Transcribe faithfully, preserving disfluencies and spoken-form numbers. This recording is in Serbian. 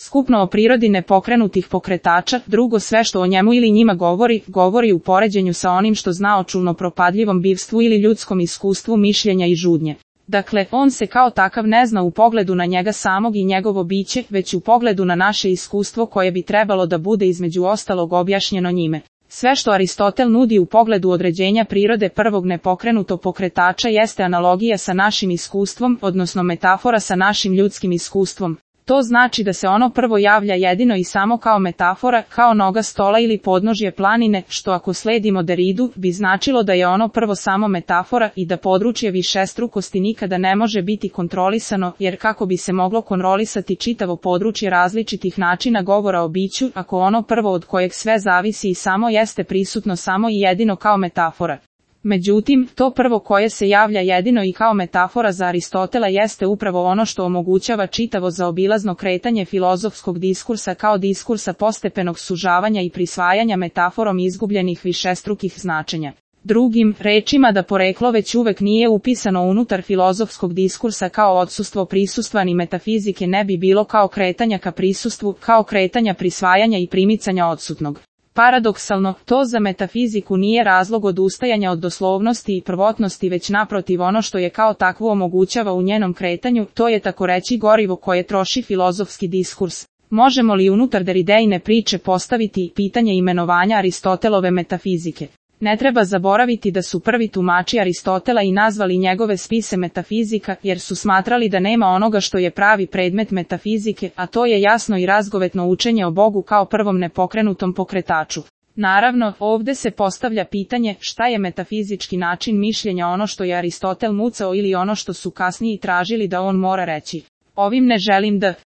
skupno o prirodi nepokrenutih pokretača, drugo sve što o njemu ili njima govori, govori u poređenju sa onim što zna o čulno propadljivom bivstvu ili ljudskom iskustvu mišljenja i žudnje. Dakle, on se kao takav ne zna u pogledu na njega samog i njegovo biće, već u pogledu na naše iskustvo koje bi trebalo da bude između ostalog objašnjeno njime. Sve što Aristotel nudi u pogledu određenja prirode prvog nepokrenutog pokretača jeste analogija sa našim iskustvom, odnosno metafora sa našim ljudskim iskustvom. To znači da se ono prvo javlja jedino i samo kao metafora, kao noga stola ili podnožje planine, što ako sledimo Deridu, bi značilo da je ono prvo samo metafora i da područje višestrukosti nikada ne može biti kontrolisano, jer kako bi se moglo kontrolisati čitavo područje različitih načina govora o biću, ako ono prvo od kojeg sve zavisi i samo jeste prisutno samo i jedino kao metafora. Međutim, to prvo koje se javlja jedino i kao metafora za Aristotela jeste upravo ono što omogućava čitavo zaobilazno kretanje filozofskog diskursa kao diskursa postepenog sužavanja i prisvajanja metaforom izgubljenih višestrukih značenja. Drugim rečima da poreklo već uvek nije upisano unutar filozofskog diskursa kao odsustvo prisustva ni metafizike ne bi bilo kao kretanja ka prisustvu, kao kretanja prisvajanja i primicanja odsutnog. Paradoksalno, to za metafiziku nije razlog odustajanja od doslovnosti i prvotnosti, već naprotiv ono što je kao takvo omogućava u njenom kretanju, to je tako reći gorivo koje troši filozofski diskurs. Možemo li unutar Deridejne priče postaviti pitanje imenovanja Aristotelove metafizike? Ne treba zaboraviti da su prvi tumači Aristotela i nazvali njegove spise metafizika, jer su smatrali da nema onoga što je pravi predmet metafizike, a to je jasno i razgovetno učenje o Bogu kao prvom nepokrenutom pokretaču. Naravno, ovde se postavlja pitanje šta je metafizički način mišljenja, ono što je Aristotel mucao ili ono što su kasnije tražili da on mora reći. Ovim ne želim da